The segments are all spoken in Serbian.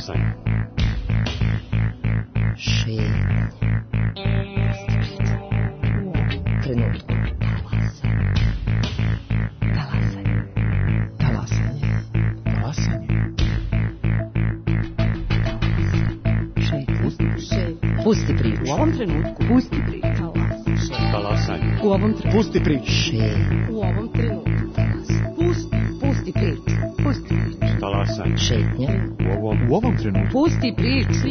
Talasanje. Šetnja. Trenutku. Pusti priču. U ovom trenutku. Pusti priču. Talasanje. U ovom trenutku. Pusti priču. U ovom trenutku. Pusti priču. Pusti priču. Talasanje. Šetnja. U ovom trenutku. Pusti priču.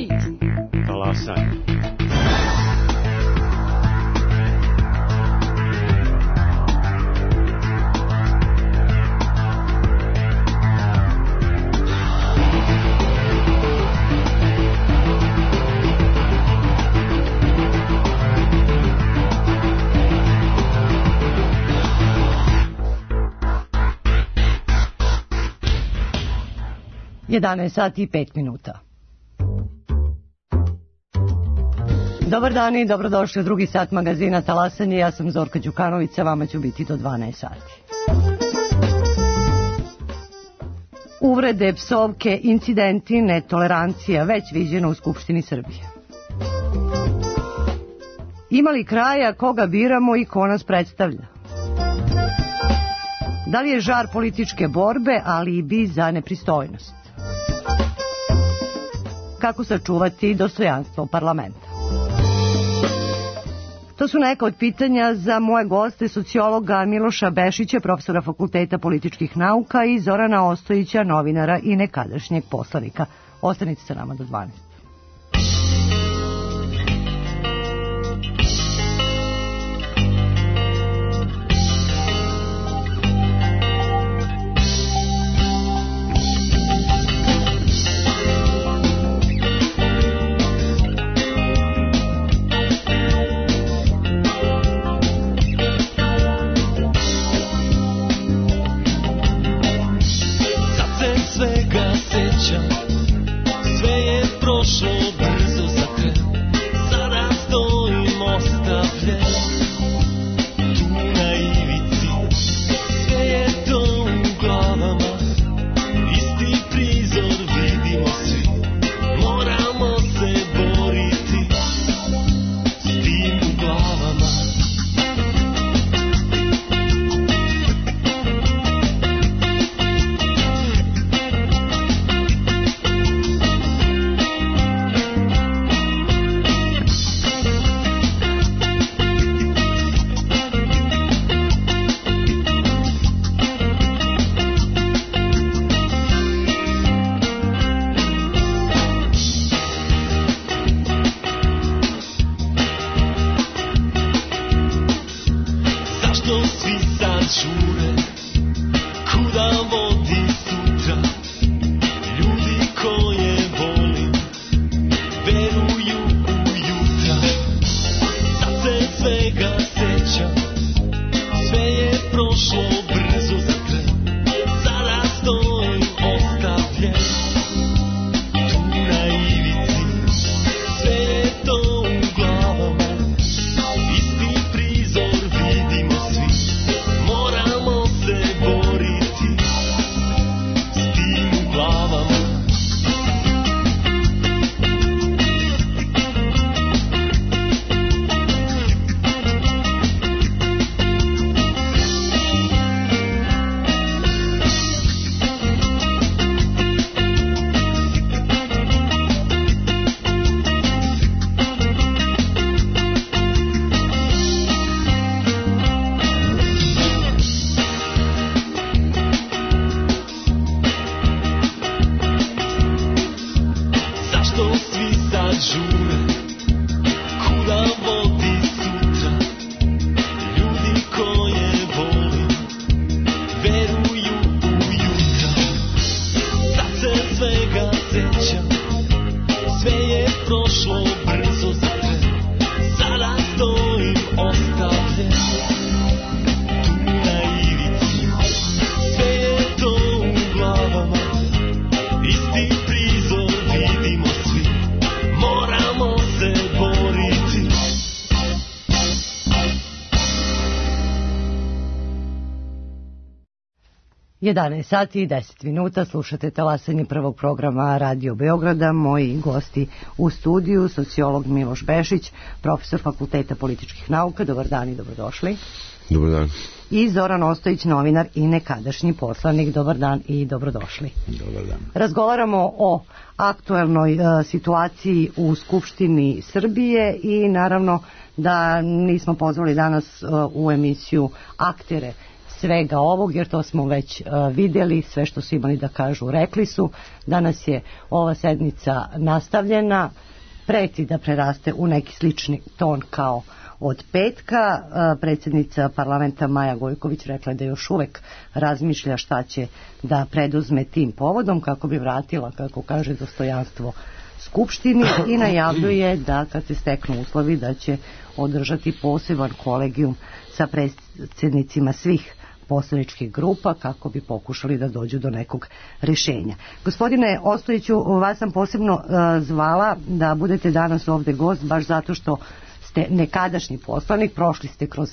Talasanje. Sati i 5 minuta. Dobar dan i dobrodošli u drugi sat magazina Talasanje. Ja sam Zorka Đukanović, sa vama ću biti do 12 sati. Uvrede, psovke, incidenti, netolerancija, već viđeno u Skupštini Srbije. Ima li kraja koga biramo i ko nas predstavlja? Da li je žar političke borbe, ali i bi za nepristojnost? Kako sačuvati dostojanstvo parlamenta? To su neka od pitanja za moje goste, sociologa Miloša Bešića, profesora Fakulteta političkih nauka, i Zorana Ostojića, novinara i nekadašnjeg poslanika. Ostanite sa nama do 12. 11 sati i 10 minuta, slušate talasanje prvog programa Radio Beograda. Moji gosti u studiju, sociolog Miloš Bešić, profesor Fakulteta političkih nauka. Dobar dan i dobrodošli. Dobar dan. I Zoran Ostojić, novinar i nekadašnji poslanik. Dobar dan i dobrodošli. Dobar dan. Razgovaramo o aktuelnoj situaciji u Skupštini Srbije i naravno da nismo pozvali danas u emisiju aktere svega ovog, jer to smo već vidjeli, sve što su imali da kažu rekli su. Danas je ova sednica nastavljena, preti da preraste u neki slični ton kao od petka. Predsjednica parlamenta Maja Gojković rekla da još uvek razmišlja šta će da preduzme tim povodom kako bi vratila, kako kaže, dostojanstvo Skupštini i najavljuje da kad se steknu uslovi da će održati poseban kolegijum sa predsjednicima svih poslaničkih grupa kako bi pokušali da dođu do nekog rješenja. Gospodine Ostojiću, vas sam posebno zvala da budete danas ovde gost, baš zato što ste nekadašnji poslanik, prošli ste kroz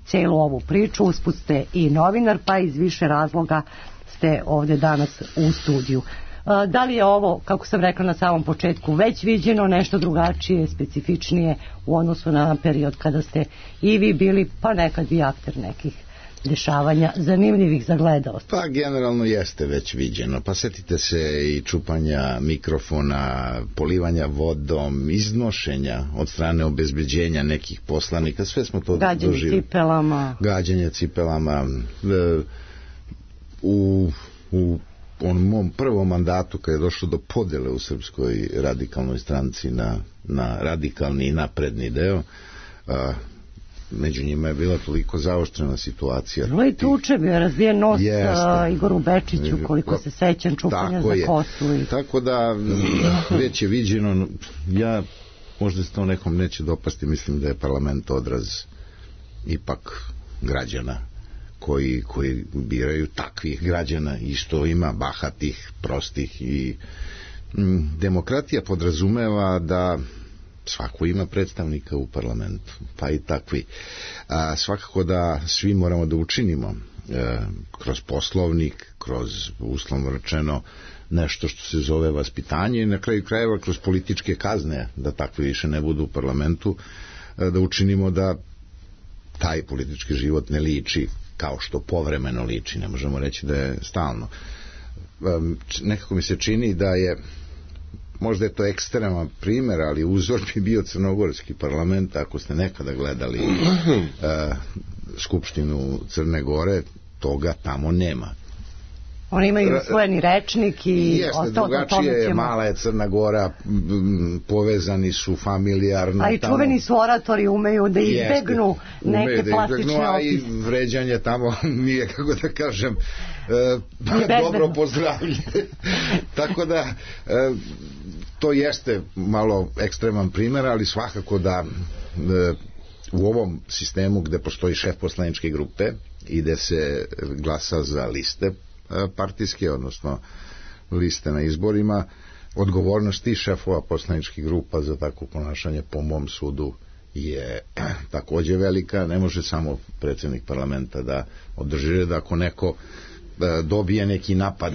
celu ovu priču, usput ste i novinar, pa iz više razloga ste ovde danas u studiju. Da li je ovo, kako sam rekla na samom početku, već viđeno, nešto drugačije, specifičnije u odnosu na period kada ste i vi bili, pa nekad i akter nekih dešavanja zanimljivih za gledaoce? Pa generalno jeste već viđeno. Pa setite se i čupanja mikrofona, polivanja vodom, iznošenja od strane obezbeđenja nekih poslanika, sve smo to doživjeli. Gađanje cipelama. U onom mom prvom mandatu kad je došlo do podele u Srpskoj radikalnoj stranci na radikalni i napredni deo, među njima je bila toliko zaoštrena situacija. Bilo je tuče, bio je razbijen nos Igoru Bečiću, koliko se sećam, čupanja za kosu. Tako da već je viđeno. Ja, možda se to nekom neće dopasti, mislim da je parlament odraz ipak građana koji biraju takvih građana, i što ima bahatih, prostih, i demokratija podrazumeva da svako ima predstavnika u parlamentu, pa i takvi. Svakako da svi moramo da učinimo kroz poslovnik, kroz, uslovno rečeno, nešto što se zove vaspitanje, i na kraju krajeva kroz političke kazne, da takvi više ne budu u parlamentu, da učinimo da taj politički život ne liči kao što povremeno liči, ne možemo reći da je stalno. Nekako mi se čini da je, možda je to ekstreman primjer, ali uzor bi bio crnogorski parlament. Ako ste nekada gledali Skupštinu Crne Gore, toga tamo nema. Oni imaju usvojeni rečnik i jeste, drugačije je, mala je Crna Gora, povezani su familijarno. A i čuveni su oratori, umeju da izbegnu neke plastične opise. A i vređanje tamo nije, kako da kažem, dobro pozdravlje. Tako da to jeste malo ekstreman primjer, ali svakako da u ovom sistemu gde postoji šef poslaničke grupe i gde se glasa za liste partijske, odnosno liste na izborima, odgovornost tih šefova poslaničkih grupa za takvo ponašanje, po mom sudu, je takođe velika. Ne može samo predsjednik parlamenta da održi red. Ako neko dobije neki napad,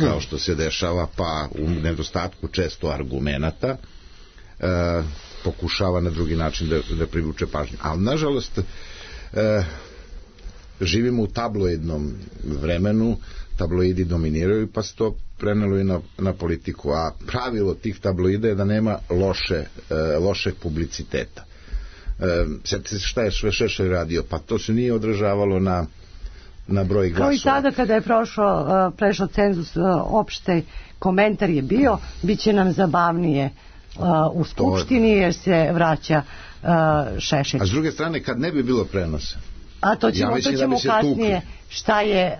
kao što se dešava, pa u nedostatku često argumenata pokušava na drugi način da privuče pažnju. Ali nažalost živimo u tabloidnom vremenu, tabloidi dominiraju, pa se to prenelo i na politiku, a pravilo tih tabloida je da nema lošeg publiciteta. Sjetite se šta je Šešelj radio, pa to se nije odražavalo na broj glasova. Kao i sada kada je prešao cenzus, opšte komentar je bio, bit će nam zabavnije u Skupštini jer se vraća Šešelj. A s druge strane, kad ne bi bilo prenosa, a to ćemo kasnije, šta je,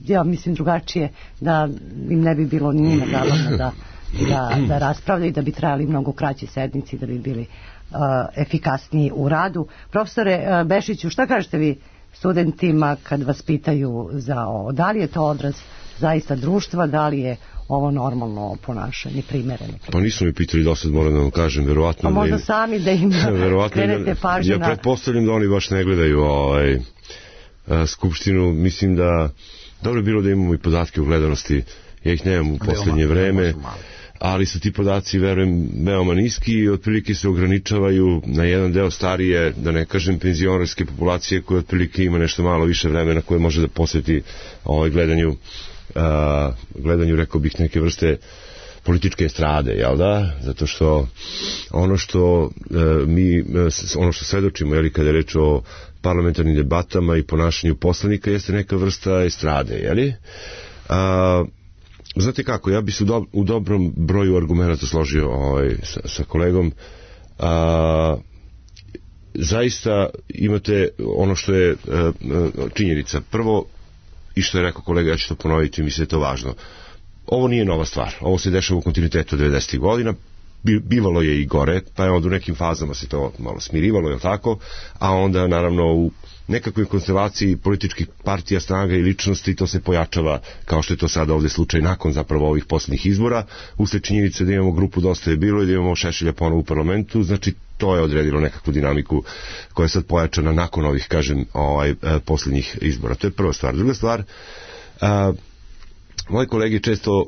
ja mislim drugačije, da im ne bi bilo ni njima zabavno da raspravljaju, da bi trajali mnogo kraće sednici, da bi bili efikasniji u radu. Profesore Bešiću, šta kažete vi studentima kad vas pitaju za ovo? Da li je to odraz zaista društva, da li je ovo normalno ponašanje, primereno? Pa nisu mi pitali, da sad moram da vam kažem, verovatno. Pa možda sami da im skrenete pažnju. Ja pretpostavljam da oni baš ne gledaju Skupštinu. Mislim da dobro je bilo da imamo i podatke o gledanosti, ja ih nemam u poslednje vreme, ali su ti podaci, verujem, veoma niski i otprilike se ograničavaju na jedan deo starije, da ne kažem penzionerske populacije, koja otprilike ima nešto malo više vremena koje može da posveti gledanju, rekao bih, neke vrste političke estrade, jel da? Zato što ono što ono što svedočimo, jel, kada je reč o parlamentarnim debatama i ponašanju poslanika, jeste neka vrsta estrade, jel? Znate kako, ja bi se u dobrom broju argumenta složio sa kolegom. Zaista imate ono što je činjenica. Prvo, i što je rekao kolega, ja ću to ponoviti, mislim da je to važno. Ovo nije nova stvar, ovo se dešava u kontinuitetu 90. godina, bivalo je i gore, pa je onda u nekim fazama se to malo smirivalo, je li tako, a onda naravno u nekakvoj konstelaciji političkih partija, snaga i ličnosti to se pojačava, kao što je to sada ovde slučaj nakon zapravo ovih poslednjih izbora, usled činjenice da imamo grupu Dosta je bilo i da imamo Šešelja ponovo u parlamentu, znači to je odredilo nekakvu dinamiku koja je sad pojačana nakon ovih, kažem, poslednjih izbora. To je prva stvar. Druga stvar, moji kolege često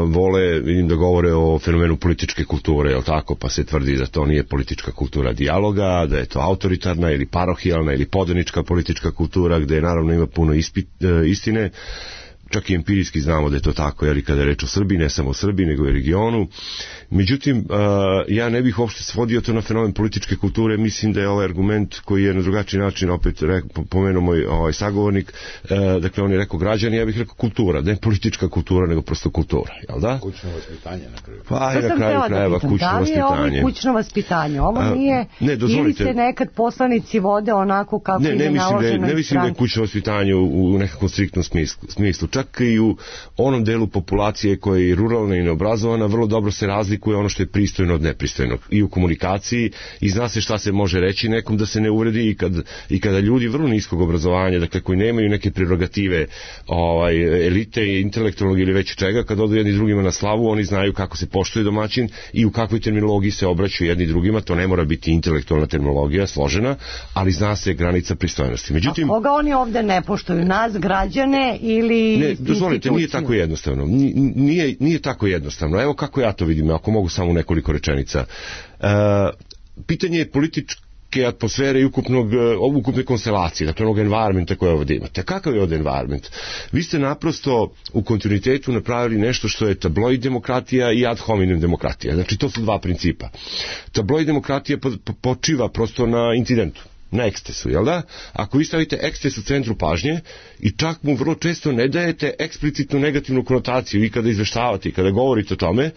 vole, vidim da govore o fenomenu političke kulture, jel tako, pa se tvrdi da to nije politička kultura dijaloga, da je to autoritarna ili parohijalna ili podanička politička kultura, gde naravno ima puno istine. Čak i empirijski znamo da je to tako, jer i kada je reč o Srbiji, ne samo o Srbiji, nego i regionu. Međutim, ja ne bih uopšte svodio to na fenomen političke kulture, mislim da je ovaj argument koji je na drugačiji način, opet pomenuo moj sagovornik, dakle on je rekao građani, ja bih rekao kultura, ne politička kultura, nego prosto kultura, jel da? Kućno vaspitanje na kraju. Pa i na kraju krajeva kućno vaspitanje. Da li je ovo kućno vaspitanje? Ovo nije, ili se nekad poslanici vode onako kako ide naloženo iz stranke? Ne mislim da je kućno vaspitanje u nekakvom striktnom smislu. Čak i u onom delu populacije koja je ruralna i neobrazovana, vrlo dobro se razlikuje ono što je pristojno od nepristojnog i u komunikaciji, i zna se šta se može reći nekom da se ne uvredi, i kada ljudi vrlo niskog obrazovanja, dakle koji nemaju neke prerogative elite i intelektualnog ili već čega, kad odu jedni drugima na slavu, oni znaju kako se poštuje domaćin i u kakvoj terminologiji se obraćaju jedni drugima. To ne mora biti intelektualna terminologija složena, ali zna se granica pristojnosti. Međutim, a koga oni ovde ne poštuju? Nas, građane ili ne, dozvolite, nije tako jednostavno. Nije tako jednostavno. Evo kako ja to vidim, ako mogu samo nekoliko rečenica. Pitanje je političke atmosfere i ukupne konstelacije, dakle onog environmenta koje ovdje imate. Kakav je ovdje environment? Vi ste naprosto u kontinuitetu napravili nešto što je tabloid demokratija i ad hominem demokratija. Znači to su dva principa. Tabloid demokratija počiva prosto na incidentu, na ekstesu, jel da? Ako vi stavite eksces u centru pažnje i čak mu vrlo često ne dajete eksplicitnu negativnu konotaciju i kada izveštavate i kada govorite o tome,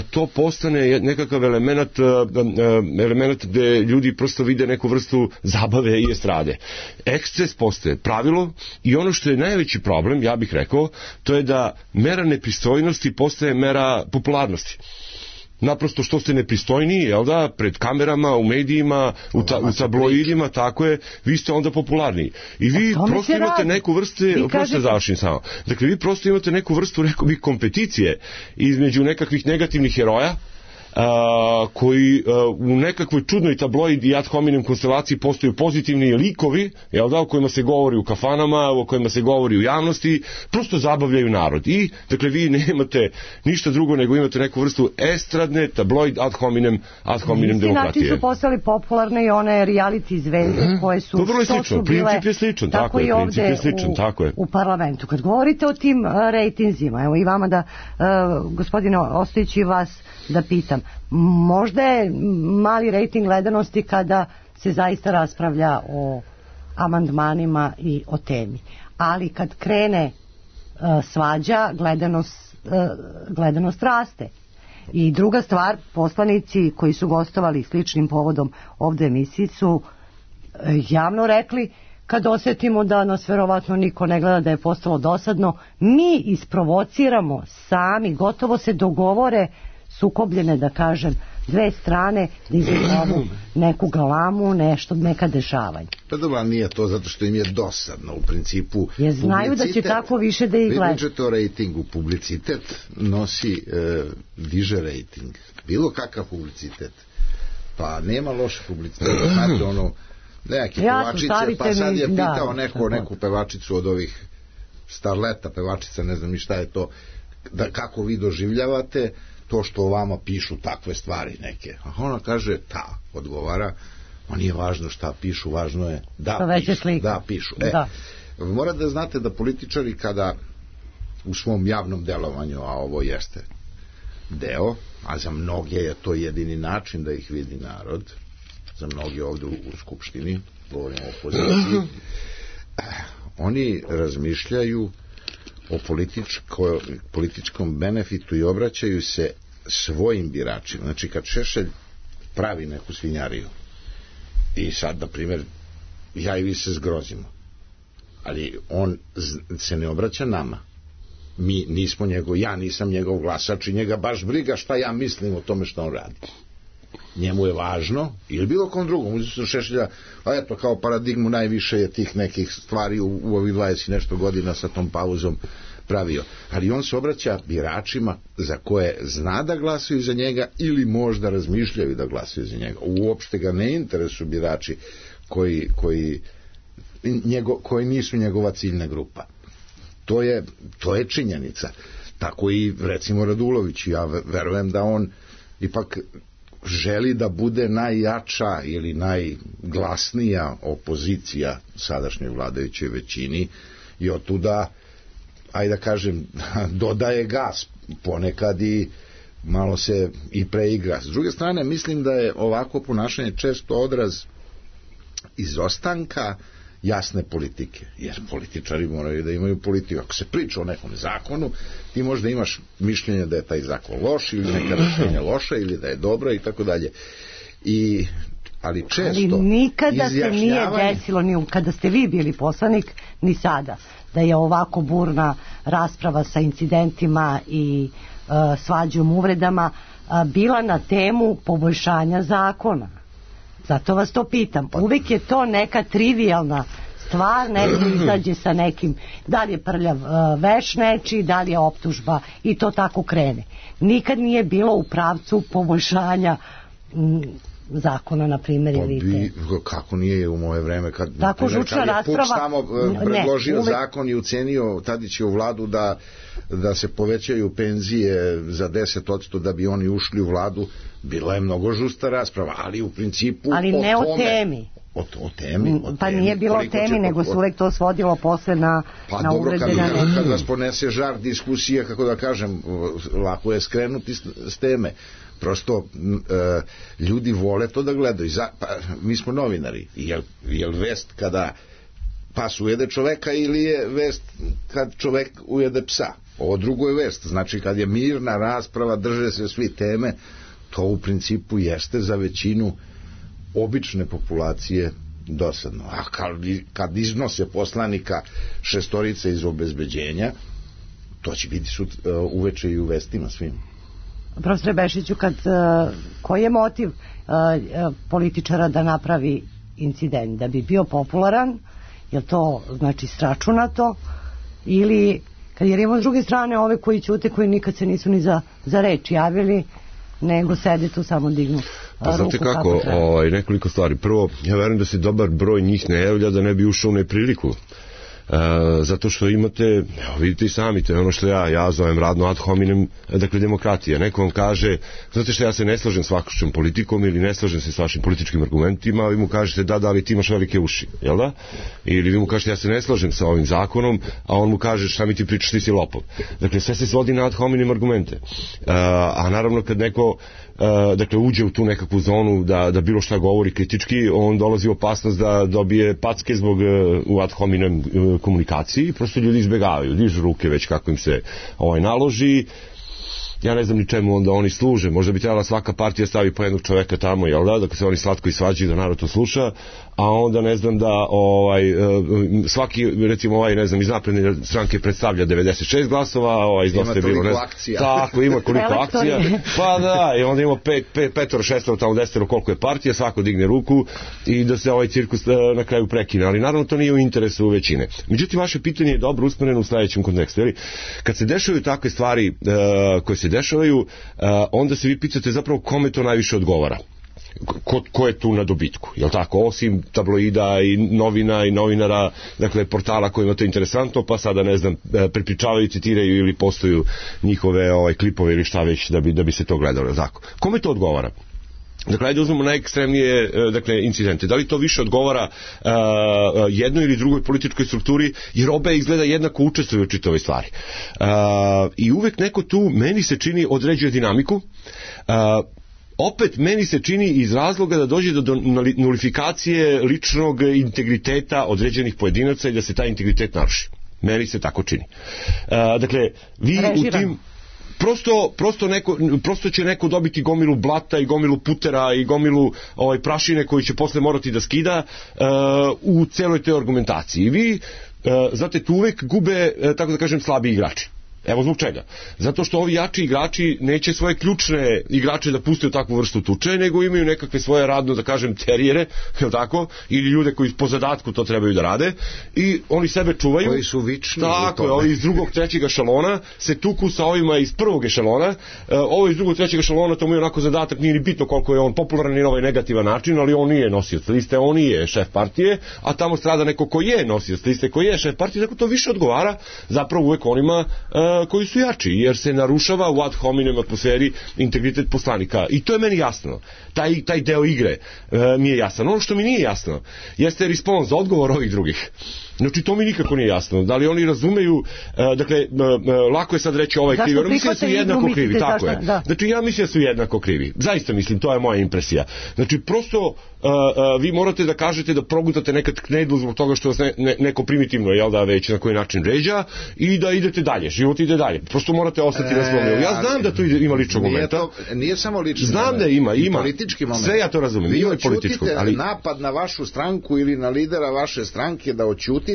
to postane nekakav element gde ljudi prosto vide neku vrstu zabave i estrade. Eksces postaje pravilo i ono što je najveći problem, ja bih rekao, to je da mera nepristojnosti postaje mera popularnosti. Naprosto što ste nepristojniji, jel da, pred kamerama, u medijima, u tabloidima, tako je, vi ste onda popularniji. I vi prosto imate neku vrstu, prosto završim samo, dakle vi prosto imate neku vrstu, rekao bih, kompeticije između nekakvih negativnih heroja, koji u nekakvoj čudnoj tabloid i ad hominem konstelaciji postaju pozitivni likovi, jel da, o kojima se govori u kafanama, o kojima se govori u javnosti, prosto zabavljaju narod. I, dakle, vi nemate ništa drugo nego imate neku vrstu estradne tabloid ad hominem demokratije. Način su postali popularne i one reality zvezde koje su, vrlo je slično, princip je sličan, tako je, princip je sličan, tako je. U parlamentu. Kad govorite o tim rejtinzima, evo i vama da, gospodine Ostojić, i vas da pitam, možda je mali rejting gledanosti kada se zaista raspravlja o amandmanima i o temi, ali kad krene svađa, gledanost raste. I druga stvar, poslanici koji su gostovali sličnim povodom ovde emisiji su javno rekli, kad osjetimo da nas verovatno niko ne gleda, da je postalo dosadno, mi isprovociramo sami, gotovo se dogovore sukobljene, da kažem, dve strane da izazvamu neku galamu, neka dešavanja. Pa dobro, nije to zato što im je dosadno u principu. Jer znaju da će tako više da ih gleda. Vi pričate o rejtingu, publicitet nosi, diže rejting. Bilo kakav publicitet. Pa nema loše publicitet. Znate ono, neki pevačice, pa sad je pitao neku pevačicu od ovih starleta, pevačica, ne znam ni šta je to, da kako vi doživljavate to što o vama pišu takve stvari neke. A ona kaže, odgovara, ma nije važno šta pišu, važno je da pišu. Da. Mora da znate da političari kada u svom javnom delovanju, a ovo jeste deo, a za mnoge je to jedini način da ih vidi narod, za mnoge ovde u Skupštini, govorimo o opoziciji, oni razmišljaju o političkom benefitu i obraćaju se svojim biračima. Znači, kad Šešelj pravi neku svinjariju i sad, na primjer, ja i vi se zgrozimo, ali on se ne obraća nama. Mi nismo ja nisam njegov glasač i njega baš briga šta ja mislim o tome što on radi. Njemu je važno, ili bilo kom drugom, uzeti su Šešelja, a eto, kao paradigmu najviše je tih nekih stvari u ovih 20 nešto godina sa tom pauzom pravio. Ali on se obraća biračima za koje zna da glasuju za njega ili možda razmišljaju da glasuju za njega. Uopšte ga ne interesuju birači koji nisu njegova ciljna grupa. To je činjenica. Tako i recimo Radulović, ja verujem da on ipak želi da bude najjača ili najglasnija opozicija sadašnjoj vladajućoj većini i otuda, ajde da kažem, dodaje gas ponekad i malo se i preigra. S druge strane, mislim da je ovako ponašanje često odraz izostanka jasne politike, jer političari moraju da imaju politiku. Ako se priča o nekom zakonu, ti možda imaš mišljenje da je taj zakon loš ili neka rešenja loša ili da je dobra i tako dalje. Ali često ali nikada se nije desilo, ni kada ste vi bili poslanik, ni sada, da je ovako burna rasprava sa incidentima i svađom, uvredama bila na temu poboljšanja zakona. Zato vas to pitam. Uvijek je to neka trivijalna stvar, neko izađe sa nekim, da li je prljav veš nečiji, da li je optužba i to tako krene. Nikad nije bilo u pravcu poboljšanja zakona, na primjer, ili kako nije u moje vreme kad žučna rasprava Puč tamo predložio zakon i ucenio Tadićevu vladu da se povećaju penzije za 10% da bi oni ušli u vladu, bila je mnogo žusta rasprava, ali u principu ali ne o temi. O temi. Pa nije bilo o temi, nego se uvek to svodilo posle na uvrede. Kad vas ponese žar diskusije, kako da kažem, lako je skrenuti s teme. Prosto ljudi vole to da gledaju. Mi smo novinari. Je li vest kada pas ujede čoveka ili je vest kad čovek ujede psa? Ovo drugo je vest. Znači kad je mirna rasprava, drže se svi teme, to u principu jeste za većinu obične populacije dosadno. A kad iznose poslanika šestorice iz obezbeđenja, to će biti uveče i u vestima svim. Profesore Bešiću, koji je motiv političara da napravi incident? Da bi bio popularan? Je to znači sračunato? Ili, jer imamo s druge strane ove koji ćute, koji nikad se nisu ni za reč javili, nego sede tu samo dignu ruku. Znate kako, nekoliko stvari. Prvo, ja verujem da se dobar broj njih ne javlja da ne bi ušao u nepriliku. Zato što imate, vidite i sami, to je ono što ja zovem radno ad hominem, dakle demokratija. Neko vam kaže, znate što, ja se ne slažem s vašom politikom ili ne slažem se s vašim političkim argumentima, a vi mu kažete da, ali ti imaš velike uši, jel da? Ili vi mu kažete, ja se ne slažem sa ovim zakonom, a on mu kaže, šta mi ti pričaš, ti si lopov. Dakle, sve se svodi na ad hominem argumente. A naravno kad neko dakle uđe u tu nekakvu zonu da bilo šta govori kritički, on dolazi u opasnost da dobije packe zbog u ad hominem komunikaciji, prosto ljudi izbegavaju, dižu ruke već kako im se naloži. Ja ne znam ni čemu onda oni služe, možda bi trebala svaka partija stavi po jednog čoveka tamo, jel da se oni slatko isvađaju, da narod to sluša, a onda ne znam da svaki, recimo ne znam, iz napredne stranke predstavlja 96 glasova, iz dosta je bilo, ne znam, tako, ima koliko akcija, pa da, i onda imamo petoro, šestoro, tamo desetoro, koliko je partija, svako digne ruku i da se ovaj cirkus na kraju prekine, ali naravno to nije u interesu većine. Međutim, vaše pitanje je dobro usmereno u sledećem kontekstu, jer kad se dešavaju takve stvari koje se dešavaju, onda se vi pitate zapravo kome to najviše odgovara. ko je tu na dobitku, jel tako, osim tabloida i novina i novinara, dakle portala kojima to je interesantno, pa sada ne znam, prepričavaju, citiraju ili postoju njihove klipove ili šta već da bi se to gledalo, jel tako. Kome to odgovara? Dakle, ajde uzmemo najekstremnije incidente. Da li to više odgovara jednoj ili drugoj političkoj strukturi, jer obe izgleda jednako učestvuju u čitavoj stvari. I uvek neko tu, meni se čini, određuje dinamiku. Opet meni se čini iz razloga da dođe do nulifikacije ličnog integriteta određenih pojedinaca i da se taj integritet naruši. Meni se tako čini. Dakle, vi u tim... Prosto će neko dobiti gomilu blata i gomilu putera i gomilu prašine koju će posle morati da skida u celoj toj argumentaciji. I vi, znate, tu uvek gube, tako da kažem, slabi igrači. Evo zbog čega. Zato što ovi jači igrači neće svoje ključne igrače da puste u takvu vrstu tuče, nego imaju nekakve svoje radno, da kažem, terijere, je tako, ili ljude koji po zadatku to trebaju da rade, i oni sebe čuvaju. Koji su vični. Tako je, ovi iz drugog, trećeg ešalona se tuku sa ovima iz prvog ešalona. Ovo iz drugog, trećeg ešalona, to mu je onako zadatak, nije ni bitno koliko je on popularan i na ovaj negativan način, ali on nije nosioc liste, on nije šef partije, a tamo strada neko ko je nosioc liste, ko je šef partije, tako to više odgovara zapravo uvek onima koji su jači, jer se narušava u ad hominem atmosferi integritet poslanika. I to je meni jasno. Taj deo igre mi je jasan. Ono što mi nije jasno jeste respons, odgovor ovih drugih. Znači, to mi nikako nije jasno. Da li oni razumeju, dakle, lako je sad reći ovaj krivi, oni mislim da su jednako krivi, tako je. Znači, ja mislim da su jednako krivi. Zaista mislim, to je moja impresija. Znači, prosto vi morate da kažete da progutate nekad knedlu zbog toga što vas neko primitivno, jel da, već na koji način ređa, i da idete dalje, život ide dalje. Prosto morate ostati na svom nivou. Ja znam da tu ima ličnog momenta. Nije samo lični moment. Znam da ima. Politički moment. Sve ja to razumem. Vi oćutite napad na vašu stranku ili na lidera vaše stranke, da oćutite,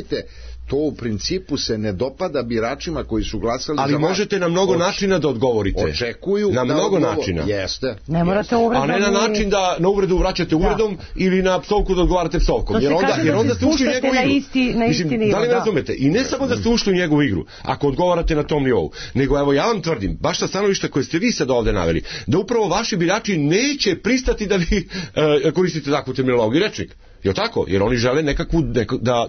to u principu se ne dopada biračima koji su glasali za vas. Ali možete na mnogo načina da odgovorite. Očekuju na mnogo načina. Jeste. Ne morate uvredom. A ne na način da na uvredu vraćate uvredom ili na psovku da odgovarate psovkom. Jer onda ste ušli u njegovu igru. Mislim, da li me razumete? I ne samo da ste ušli u njegovu igru, ako odgovarate na tom nivou, nego evo ja vam tvrdim, baš sa stanovišta koje ste vi sad ovde naveli, da upravo vaši birači neće pristati da vi koristite takvu terminologiju i rečnik. Je tako? Jer oni žele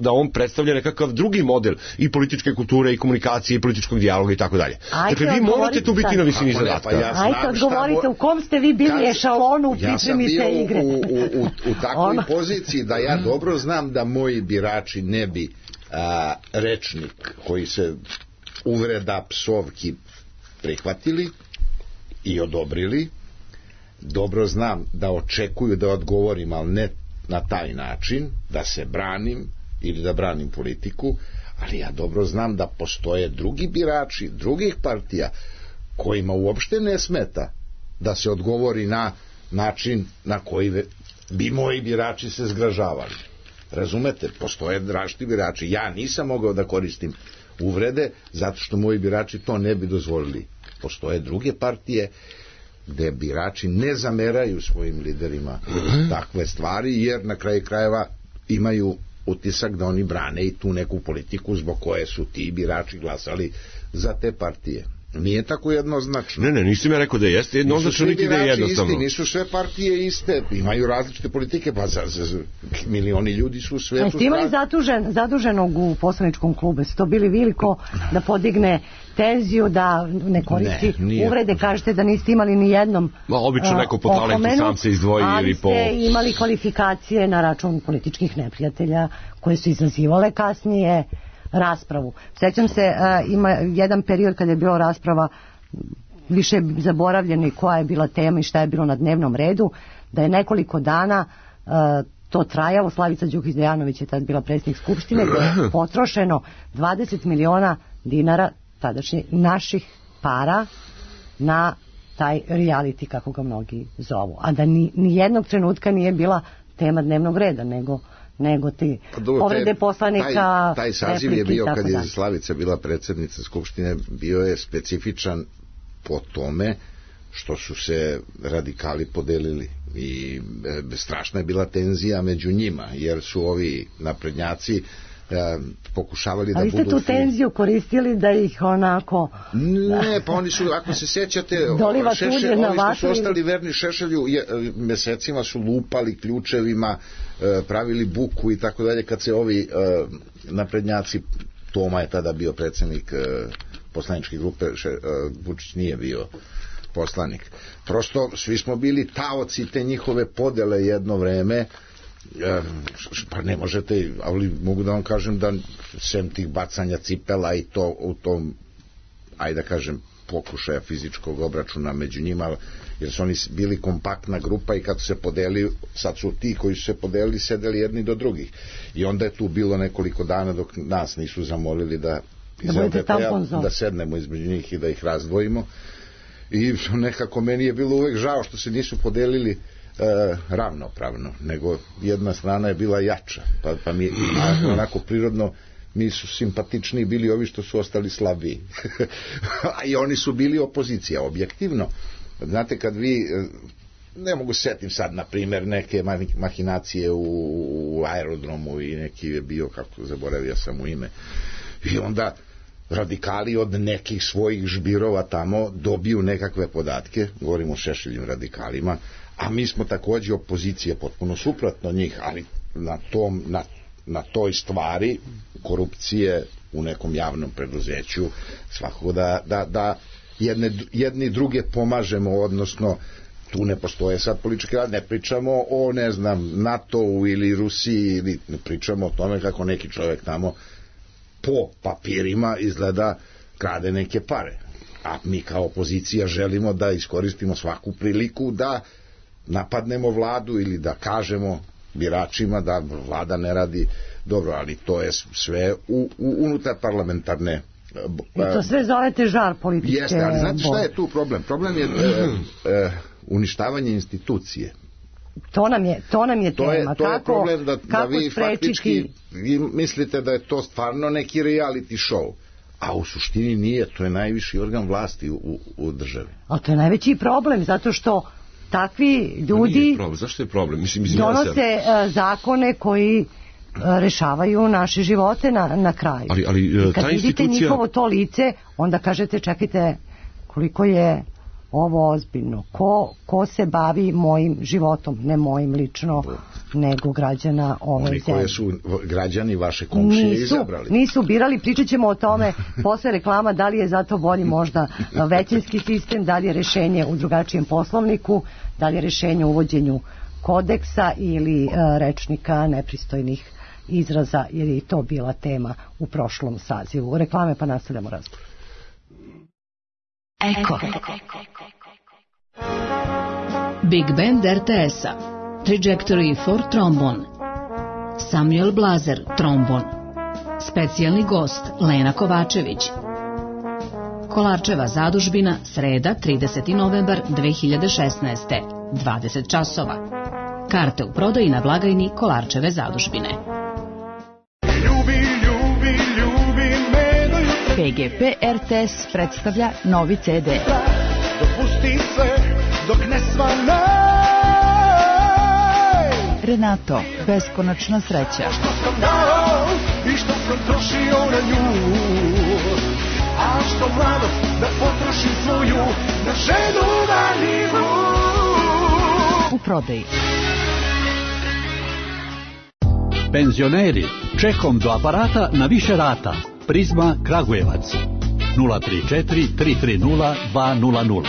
da on predstavlja nekakav drugi model i političke kulture i komunikacije i političkog dijaloga i tako dalje. Dakle, vi morate tu biti na visini zadatka. Ajde, odgovorite, u kom ste vi bili ešalonu u pripremi te igre? Ja sam bio u takvoj poziciji da ja dobro znam da moji birači ne bi rečnik koji se uvreda, psovki prihvatili i odobrili. Dobro znam da očekuju da odgovorim, ali ne na taj način, da se branim ili da branim politiku, ali ja dobro znam da postoje drugi birači drugih partija kojima uopšte ne smeta da se odgovori na način na koji bi moji birači se zgražavali. Razumete? Postoje različiti birači. Ja nisam mogao da koristim uvrede zato što moji birači to ne bi dozvolili. Postoje druge partije gde birači ne zameraju svojim liderima takve stvari, jer na kraju krajeva imaju utisak da oni brane i tu neku politiku zbog koje su ti birači glasali za te partije. Nije tako jednoznačno. Ne, nisam ja rekao da jeste jednoznačno, niti da je jednostavno. Isti, nisu sve partije iste, imaju različite politike, pa milioni ljudi su u svetu. Jeste imali zaduženog u poslaničkom klubu, ste to bili veliko da podigne tenziju, da ne koristi uvrede, kažete da niste imali ni jednom obično neko po talentu sam se izdvoji ili po... Ali ste imali kvalifikacije na račun političkih neprijatelja koje su izazivale kasnije raspravu. Sjećam se, ima jedan period kada je bila rasprava, više zaboravljeni koja je bila tema i šta je bilo na dnevnom redu, da je nekoliko dana to trajalo. Slavica Đukić Dejanović je tad bila predsjednik Skupštine, gdje je potrošeno 20 miliona dinara tadašnjih naših para na taj reality, kako ga mnogi zovu. A da ni jednog trenutka nije bila tema dnevnog reda, nego ti povrede poslanika. Taj saziv je bio, kad je Slavica bila predsjednica Skupštine, bio je specifičan po tome što su se radikali podelili i strašna je bila tenzija među njima, jer su ovi naprednjaci pokušavali da Ali budu... ste tu tenziju koristili da ih onako... Ne, pa oni su, ako se sećate, Doliva oni na što su ostali verni Šešelju, mesecima su lupali ključevima, pravili buku i tako dalje, kad se ovi naprednjaci, Toma je tada bio predsjednik poslaničke grupe, Vučić nije bio poslanik. Prosto svi smo bili taoci te njihove podele jedno vreme, pa ne možete, ali mogu da vam kažem da sem tih bacanja cipela i to u tom, ajde da kažem, pokušaja fizičkog obračuna među njima, jer su oni bili kompaktna grupa i kad se podeli, sad su ti koji su se podelili sedeli jedni do drugih i onda je tu bilo nekoliko dana dok nas nisu zamolili da sednemo između njih i da ih razdvojimo i nekako meni je bilo uvek žao što se nisu podelili ravnopravno, nego jedna strana je bila jača, pa mi onako prirodno mi su simpatičniji bili ovi što su ostali slabiji. I oni su bili opozicija, objektivno. Znate, kad vi, ne mogu setim sad, na primjer, neke mahinacije u aerodromu i neki je bio, kako zaboravio sam mu ime, i onda radikali od nekih svojih žbirova tamo dobiju nekakve podatke, govorimo o Šešeljim radikalima, a mi smo takođe opozicija potpuno suprotno njih, ali na toj stvari korupcije u nekom javnom preduzeću svakako da jedni druge pomažemo, odnosno tu ne postoje sad politički rad, ne pričamo o, ne znam, NATO-u ili Rusiji, ili ne pričamo o tome kako neki čovjek tamo po papirima izgleda krade neke pare, a mi kao opozicija želimo da iskoristimo svaku priliku da napadnemo vladu ili da kažemo biračima da vlada ne radi dobro, ali to je sve unutar parlamentarne... I to sve zovete žar političke... Jeste, ali znate šta je tu problem? Problem je uništavanje institucije. To nam je tema. To je problem da vi faktički mislite da je to stvarno neki reality show, a u suštini nije, to je najviši organ vlasti u državi. Ali to je najveći problem, zato što takvi ljudi zašto je problem? Donose zakone koji rešavaju naše živote na kraju. Ali kad vidite njihovo to lice, onda kažete čekajte, koliko je ovo ozbiljno. Ko se bavi mojim životom, ne mojim lično, nego građana ove zemlje. Oni koje su građani vaše komšije izabrali. Nisu birali, pričat ćemo o tome posle reklama, da li je zato bolji možda većinski sistem, da li je rešenje u drugačijem poslovniku, da li je rešenje u uvođenju kodeksa ili rečnika nepristojnih izraza, jer je i to bila tema u prošlom sazivu. Reklame pa nastavljamo razgovor. Eko. Big Band RTS-a, Trajectory for Trombone, Samuel Blazer, trombon, specijalni gost Lena Kovačević. Kolarčeva zadužbina, sreda, 30. novembar 2016. 20 časova. Karte u prodaji na blagajni Kolarčeve zadužbine. PGP RTS predstavlja novi CD. Dopusti sve dok ne svanaj. Renato, beskonačna sreća. Što sam dao i što sam trošio na nju, a što mladost da potrošim svoju na ženu marljivu. U prodaji. Penzioneri, čekom do aparata na više rata. Prizma Kragujevac 034 330 200.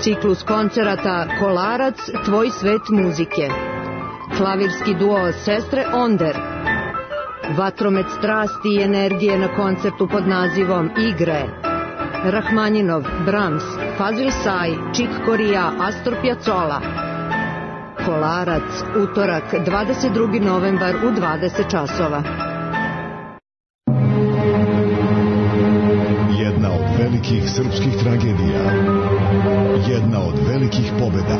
Ciklus koncerata Kolarac, tvoj svet muzike. Klavirski duo Sestre Onder. Vatromet strasti i energije na koncertu pod nazivom Igre. Rahmaninov, Brahms, Fazil Say, Chick Corea, Astor Piazzolla. Kolarac, utorak, 22. novembar u 20 časova. Jedna od velikih srpskih tragedija. Jedna od velikih pobeda.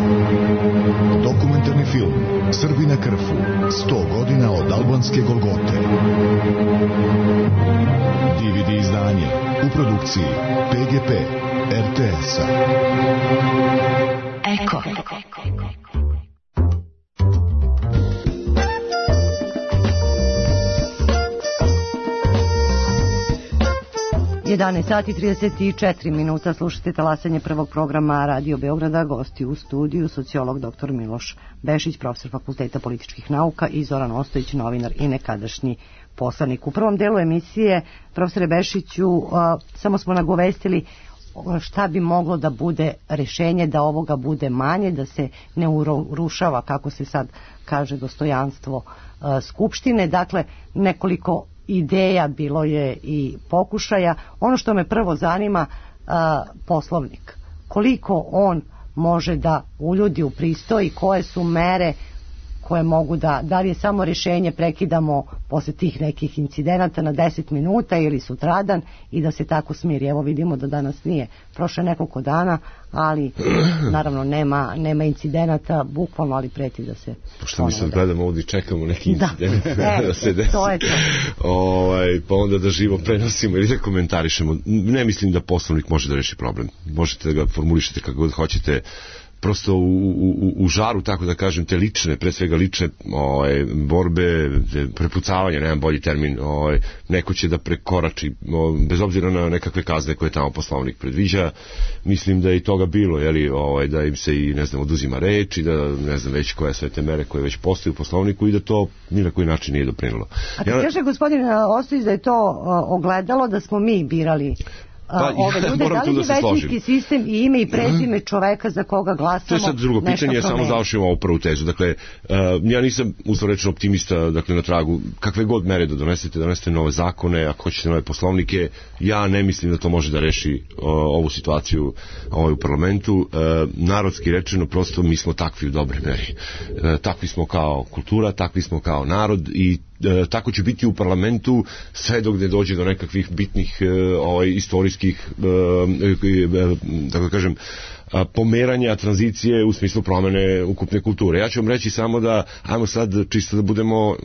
Dokumentarni film Srbi na Krfu. 100 godina od albanske Golgote. DVD izdanje u produkciji PGP RTS-a. 11 sati 34 minuta, slušate talasanje prvog programa Radio Beograda. Gosti u studiju sociolog dr. Miloš Bešić, profesor Fakulteta političkih nauka, i Zoran Ostojić, novinar i nekadašnji poslanik. U prvom delu emisije, profesore Bešiću, samo smo nagovestili šta bi moglo da bude rešenje, da ovoga bude manje, da se ne urušava, kako se sad kaže, dostojanstvo Skupštine. Dakle, nekoliko ideja bilo je i pokušaja. Ono što me prvo zanima, Poslovnik. Koliko on može da uljudi u pristoji, koje su mere koje mogu da li je samo rešenje prekidamo posle tih nekih incidenata na 10 minuta ili sutradan i da se tako smiri. Evo vidimo da danas nije prošle nekoliko dana, ali naravno nema incidenata, bukvalno, ali preti da se... Pošto mi sad gledamo ovdje i čekamo neki incident da se desi. To je to. Pa onda da živo prenosimo ili da komentarišemo. Ne mislim da Poslovnik može da reši problem. Možete da ga formulišete kako god hoćete. Prosto u žaru, tako da kažem, te lične, pre svega lične borbe, prepucavanja, nemam bolji termin, neko će da prekorači, bez obzira na nekakve kazne koje tamo Poslovnik predviđa. Mislim da je i toga bilo, da im se i, ne znam, oduzima reč i da, ne znam, već koje sve te mere koje već postoje u Poslovniku i da to ni na koji način nije doprinilo. A ti kaže, gospodin Ostojić, da je to ogledalo, da smo mi birali ove ljude, da li je većinski sistem i ime i prezime čoveka za koga glasamo? To je sad drugo pitanje, ja samo završim ovu prvu tezu. Dakle, ja nisam uslovrečno optimista, dakle, na tragu kakve god mere da donesete nove zakone, ako hoćete nove poslovnike, ja ne mislim da to može da reši ovu situaciju u parlamentu. Narodski rečeno, prosto mi smo takvi u dobre meri. Takvi smo kao kultura, takvi smo kao narod i tako će biti u parlamentu sve dok ne dođe do nekakvih bitnih istorijskih, tako da kažem, pomeranja, tranzicije u smislu promene ukupne kulture. Ja ću vam reći samo da, ajmo sad čisto da budemo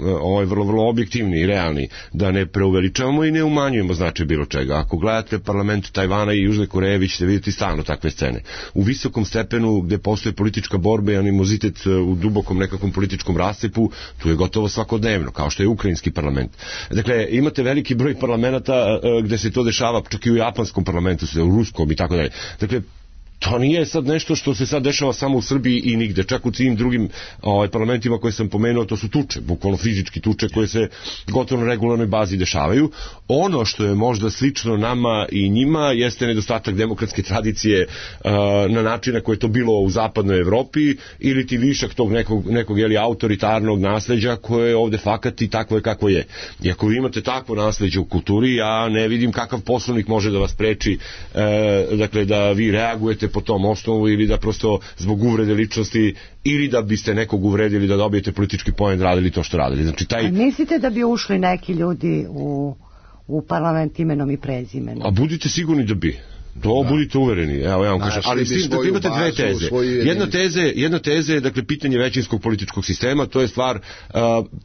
vrlo objektivni i realni, da ne preuveličavamo i ne umanjujemo značaj bilo čega. Ako gledate parlament Tajvana i Južne Koreje, vi ćete vidjeti stalno takve scene. U visokom stepenu gde postoje politička borba i animozitet u dubokom nekakvom političkom rascepu, tu je gotovo svakodnevno, kao što je ukrajinski parlament. Dakle, imate veliki broj parlamenta gde se to dešava, čak i u japanskom parlamentu, u ruskom i tako dalje. Dakle, to nije sad nešto što se sad dešava samo u Srbiji i nigde, čak u svim drugim parlamentima koje sam pomenuo, to su tuče, bukvalno fizički tuče koje se gotovo na regularnoj bazi dešavaju. Ono što je možda slično nama i njima jeste nedostatak demokratske tradicije na način na koje je to bilo u zapadnoj Evropi ili ti višak tog nekog autoritarnog nasleđa koje je ovde fakat i takvo je kako je. I ako vi imate takvo nasleđe u kulturi, ja ne vidim kakav Poslovnik može da vas preči, dakle, da vi reagujete po tom osnovu ili da prosto zbog uvrede ličnosti ili da biste nekog uvredili da dobijete politički poen radili to što radili. Znači, A mislite da bi ušli neki ljudi u parlament imenom i prezimenom? A budite sigurni da bi. To budite uvereni, evo ja vam kažem, ali dakle, imate dve teze. Jedna teza je, dakle, pitanje većinskog političkog sistema, to je stvar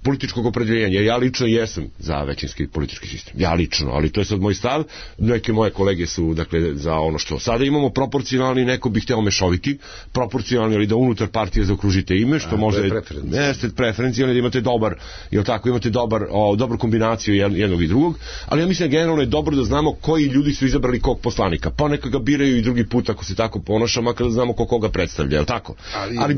političkog opredeljenja. Ja lično jesam za većinski politički sistem. Ja lično, ali to je sad moj stav. Neke moje kolege su, dakle, za ono što sada imamo proporcionalni, neko bi hteo mešoviti, proporcionalni, ali da unutar partije zaokružite ime, što može jeste preferencijalni, da imate dobar, jel tako, imate dobru kombinaciju jednog i drugog, ali ja mislim da generalno je dobro da znamo koji ljudi su izabrali kog poslanika. Pa neka ga biraju i drugi put ako se tako ponaša, makar da znamo koga predstavlja, je li tako? Ali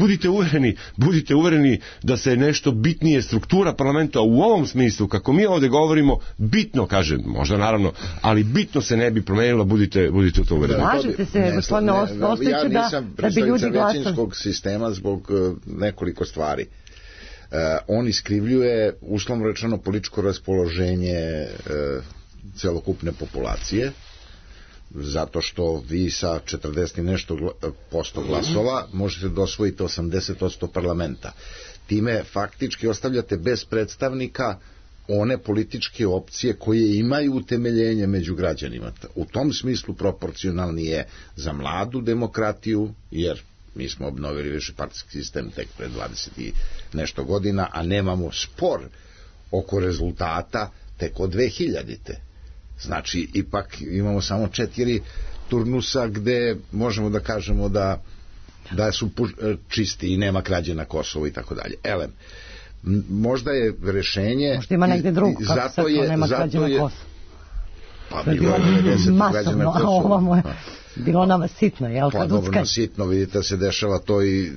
budite uvereni da se nešto bitnije struktura parlamenta u ovom smislu, kako mi ovde govorimo, bitno, kažem, možda naravno, ali bitno se ne bi promenilo, budite u to uvereni. Slažete se, gospodine Ostojiću, ja nisam predstavnica većinskog sistema zbog nekoliko stvari. On iskrivljuje, uslovno rečeno, političko raspoloženje celokupne populacije, zato što vi sa 40 i nešto posto glasova možete da osvojite 80% parlamenta. Time faktički ostavljate bez predstavnika one političke opcije koje imaju utemeljenje među građanima. U tom smislu proporcionalni je za mladu demokratiju, jer mi smo obnovili višepartijski sistem tek pre 20 i nešto godina, a nemamo spor oko rezultata tek od 2000-te. Znači, ipak imamo samo 4 turnusa gde možemo da kažemo da su čisti i nema krađe na Kosovo i tako dalje. Elem, možda je rešenje... Možda ima negde drugo, kako sad to nema krađe na Kosovo. Pa bilo je 90 građana Kosova. Bilo nama sitno, jel? Pa dobro, sitno, vidite, se dešava to i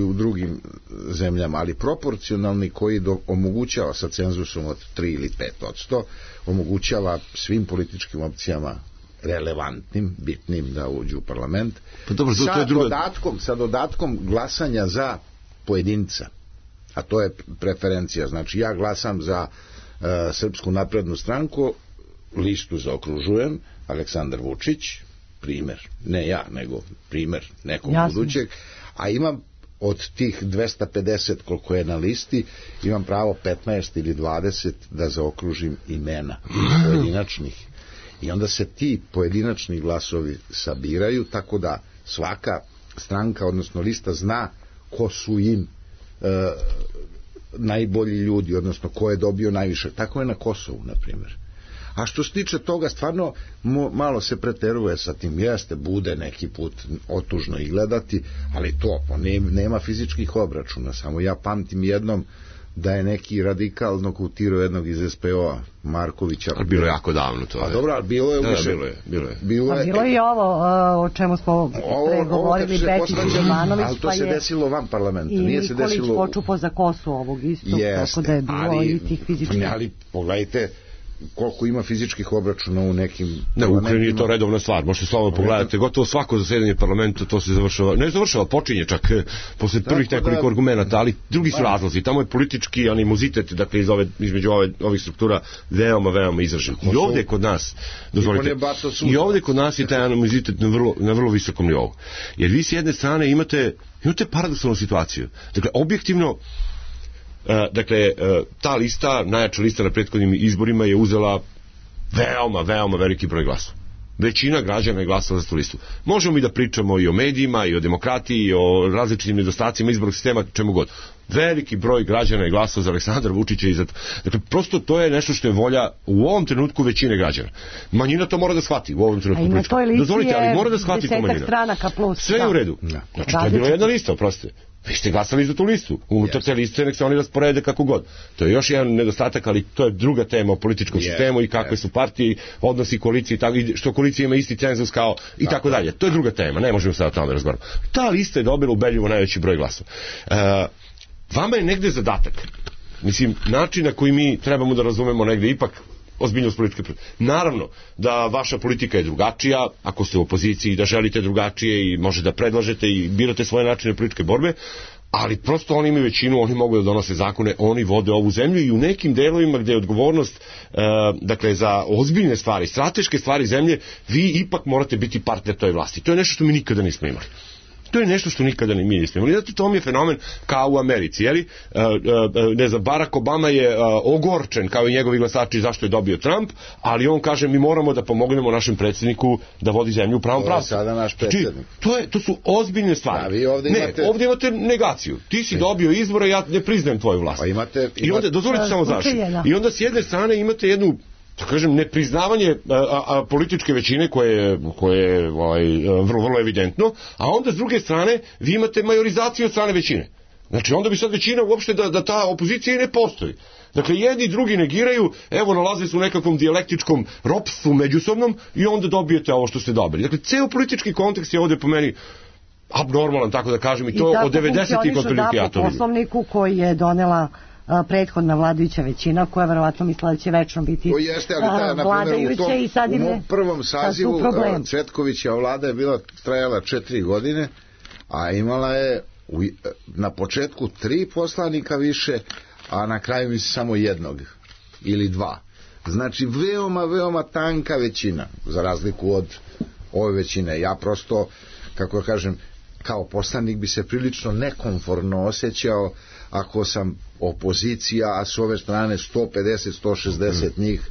u drugim zemljama, ali proporcionalni koji omogućava sa cenzusom od 3 ili 5%, omogućava svim političkim opcijama relevantnim, bitnim da uđu u parlament, pa dobro, sa dodatkom glasanja za pojedinca, a to je preferencija. Znači, ja glasam za Srpsku naprednu stranku, listu zaokružujem, Aleksandar Vučić, primer, ne ja, nego primer nekog budućeg, a imam od tih 250 koliko je na listi, imam pravo 15 ili 20 da zaokružim imena pojedinačnih. I onda se ti pojedinačni glasovi sabiraju, tako da svaka stranka, odnosno lista, zna ko su im najbolji ljudi, odnosno ko je dobio najviše. Tako je na Kosovu, na primjer. A što se tiče toga, stvarno malo se preteruje sa tim, jeste, bude neki put otužno i gledati, ali to, nema fizičkih obračuna, samo ja pamtim jednom da je neki radikal nokutirao jednog iz SPO-a, Markovića. Ali bilo je jako davno to. A dobro, ali bilo je više. Bilo je i ovo o čemu smo pregovorili, Bečić i Jovanović. Ali to se desilo van parlamenta. I Nikolić počupo za kosu ovog isto, tako da je bilo i tih fizičkih. Ali pogledajte koliko ima fizičkih obračuna u nekim... Ne, u Ukrajini je to redovna stvar, možete slobodno pogledati, gotovo svako zasedanje parlamenta to se završava, počinje čak posle prvih nekoliko argumenta, ali drugi su razlozi, tamo je politički animozitet, dakle između ovih struktura veoma izražen. I ovde kod nas, dozvolite, i ovde kod nas je taj animozitet na vrlo visokom nivou. Jer vi s jedne strane imate paradoksalnu situaciju. Dakle, objektivno, ta lista, najjača lista na prethodnim izborima je uzela veoma veliki broj glasova. Većina građana je glasala za tu listu. Možemo mi da pričamo i o medijima, i o demokratiji, i o različitim nedostacima izbornog sistema, čemu god. Veliki broj građana je glasao za Aleksandra Vučića i za... Dakle, prosto to je nešto što je volja u ovom trenutku većine građana. Manjina to mora da shvati u ovom trenutku. Dozvolite, ali mora da shvati to manjina. Sve je u redu. Znači, to je bila jedna lista, oprostite. Vi ste glasali za tu listu. Unutar te liste nek se oni rasporede kako god. To je još jedan nedostatak, ali to je druga tema o političkom sistemu i kakve su partije, odnosi koalicije, što koalicija ima isti cenzus kao i tako dalje. To je druga tema, ne možemo sad o tome razgovarati. Ta lista je dobila ubedljivo najveći broj glasova. Vama je negde zadatak, mislim, način na koji mi trebamo da razumemo negde ipak ozbiljnost političke. Naravno da vaša politika je drugačija, ako ste u opoziciji, da želite drugačije i možete da predlažete i birate svoje načine političke borbe, ali prosto oni imaju većinu, oni mogu da donose zakone, oni vode ovu zemlju i u nekim delovima gde je odgovornost dakle za ozbiljne stvari, strateške stvari zemlje, vi ipak morate biti partner toj vlasti. To je nešto što mi nikada nismo imali. To je nešto što nikada mi nismo imali. Zato to mi je fenomen kao u Americi, jeli? Ne znam, Barack Obama je ogorčen kao i njegovi glasači zašto je dobio Trump, ali on kaže mi moramo da pomognemo našem predsjedniku da vodi zemlju u pravom pravcu. Sada naš predsjednik. To su ozbiljne stvari. Ovdje imate negaciju. Ti si dobio izbore, ja ne priznajem tvoju vlast. I onda, dozvolite samo zašto. I onda s jedne strane imate jednu, da kažem, nepriznavanje političke većine koje je vrlo evidentno, a onda s druge strane vi imate majorizaciju od strane većine. Znači onda bi sad većina uopšte da ta opozicija i ne postoji. Dakle, jedni i drugi negiraju, evo nalaze se u nekakvom dijalektičkom ropstvu međusobnom i onda dobijete ovo što ste dobili. Dakle, ceo politički kontekst je ovdje po meni abnormalan, tako da kažem, i to od 90-ih otprilike ja to vidim. Po Poslovniku koji je donela prethodna vladajuća većina, koja verovatno mislila da će večno biti vladajuća i sad im je... U prvom sazivu Cvetkovića vlada je trajala 4 godine, a imala je na početku 3 poslanika više, a na kraju mi se samo jednog ili 2. Znači veoma tanka većina, za razliku od ove većine. Ja prosto, kako kažem, kao poslanik bi se prilično nekomfortno osjećao ako sam opozicija, a s ove strane 150-160 njih.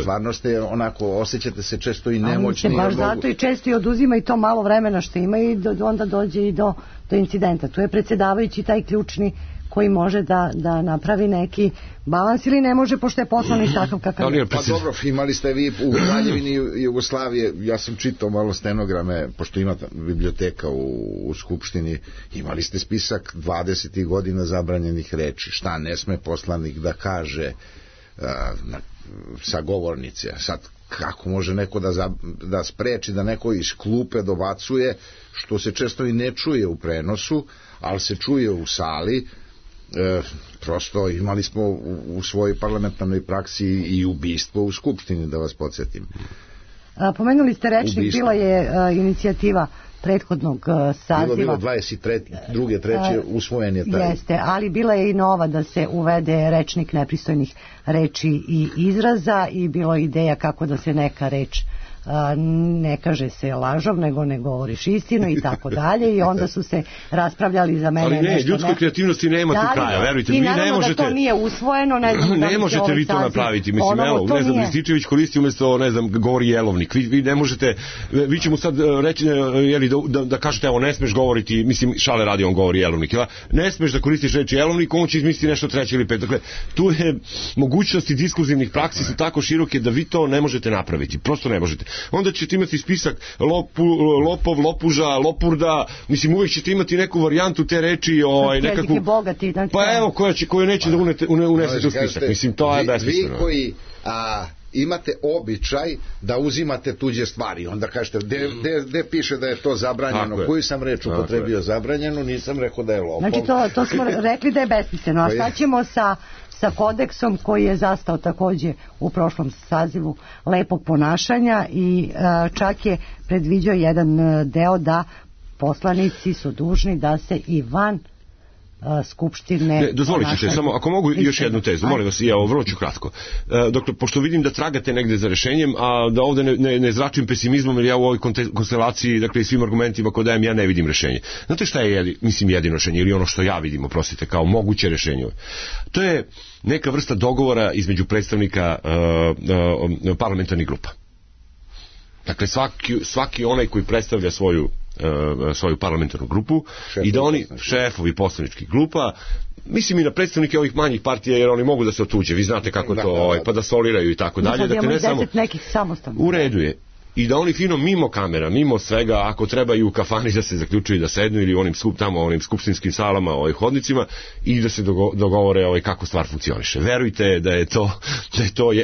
Stvarno ste onako, osjećate se često i nemoćni. Baš zato i često i oduzima i to malo vremena što ima i onda dođe i do incidenta. Tu je predsjedavajući taj ključni koji može da napravi neki balans ili ne može, pošto je poslanik takav kakav je. Pa dobro, imali ste vi u Kraljevini Jugoslavije, ja sam čitao malo stenograme, pošto ima biblioteka u Skupštini, imali ste spisak 20 godina zabranjenih reči, šta ne sme poslanik da kaže sa govornice. Sad, kako može neko da spreči da neko iz klupe dobacuje, što se često i ne čuje u prenosu, ali se čuje u sali. Prosto imali smo u svojoj parlamentarnoj praksi i ubistvo u Skupštini, da vas podsjetim. Pomenuli ste rečnik, bila je inicijativa prethodnog saziva. Bilo 22. treće usvojen je taj. Jeste, ali bila je i nova da se uvede rečnik nepristojnih reči i izraza i bilo je ideja kako da se neka reč ne kaže se lažov, nego ne govoriš istinu i tako dalje, i onda su se raspravljali za mene. Ali ne, ljudskoj kreativnosti nema tu kraja, verujte. I naravno da to nije usvojeno, ne znam ne možete vi to napraviti, mislim, evo, ne znam, Rističević koristi umjesto, ne znam, govori jelovnik, vi ne možete, vi ćemo sad reći, da kažete, evo, ne smeš govoriti, mislim, šale radi, on govori jelovnik, ne smeš da koristiš reći jelovnik, on će izmisliti nešto treće ili pet, dakle, tu je mogućnosti diskurzivnih praksi su tako široke da vi to ne možete napraviti, prosto ne možete. Onda ćete imati spisak lopov, lopuža, lopurda, mislim, uvijek ćete imati neku varijantu te reči, nekakvu... Bogati, pa evo, koju neće da unesete u spisak, mislim, to je besmisleno. Vi koji imate običaj da uzimate tuđe stvari, onda kažete, gde piše da je to zabranjeno, koju sam reč upotrebio zabranjenu, nisam rekao da je lopov. Znači, to smo rekli da je besmisleno, a šta ćemo sa kodeksom koji je zastao takođe u prošlom sazivu lepog ponašanja i čak je predviđao jedan deo da poslanici su dužni da se i van Skupštine... Dozvolit ćete, samo ako mogu još jednu tezu, molim vas, ja vrlo ću kratko. Dakle, pošto vidim da tragate negde za rešenjem, a da ovde ne zračim pesimizmom, jer ja u ovoj konstelaciji, dakle, i svim argumentima koje dajem, ja ne vidim rešenje. Znate šta je, mislim, jedino rešenje, ili ono što ja vidim, oprostite, kao moguće rešenje? To je neka vrsta dogovora između predstavnika parlamentarnih grupa. Dakle, svaki onaj koji predstavlja svoju parlamentarnu grupu i da oni, šefovi poslaničkih grupa, mislim i na predstavnike ovih manjih partija, jer oni mogu da se otuđe, vi znate kako to, pa da soliraju i tako dalje. Dakle, ne samo nekih samostalnih. U redu je. I da oni fino mimo kamera, mimo svega, ako treba i u kafani da se zaključuju da sednu ili onim skupštinskim salama, hodnicima, i da se dogovore kako stvar funkcioniše. Verujte da je to,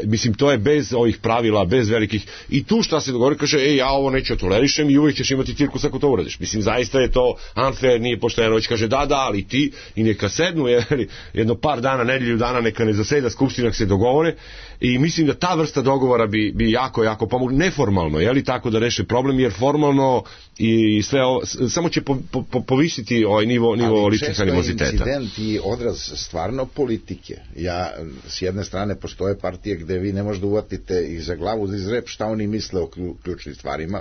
mislim, to je bez ovih pravila, bez velikih, i tu šta se dogovori, kaže, ja ovo neću tolerišem i uvijek ćeš imati cirkus ako to uradiš. Mislim, zaista je to unfair, nije pošteno, već kaže, da, ali ti, i neka sednu, jedno par dana, nedelju dana, neka ne zaseda skupština, se dogovore, i mislim da ta vrsta dogovora bi jako pomogla, neformalno, tako da reše problem, jer formalno i sve ovo, samo će povisiti ovaj nivo ličnih animoziteta. Ali često je incident i odraz stvarno politike. S jedne strane postoje partije gde vi ne možete uvatite ih za glavu, za izrep šta oni misle o ključnim stvarima.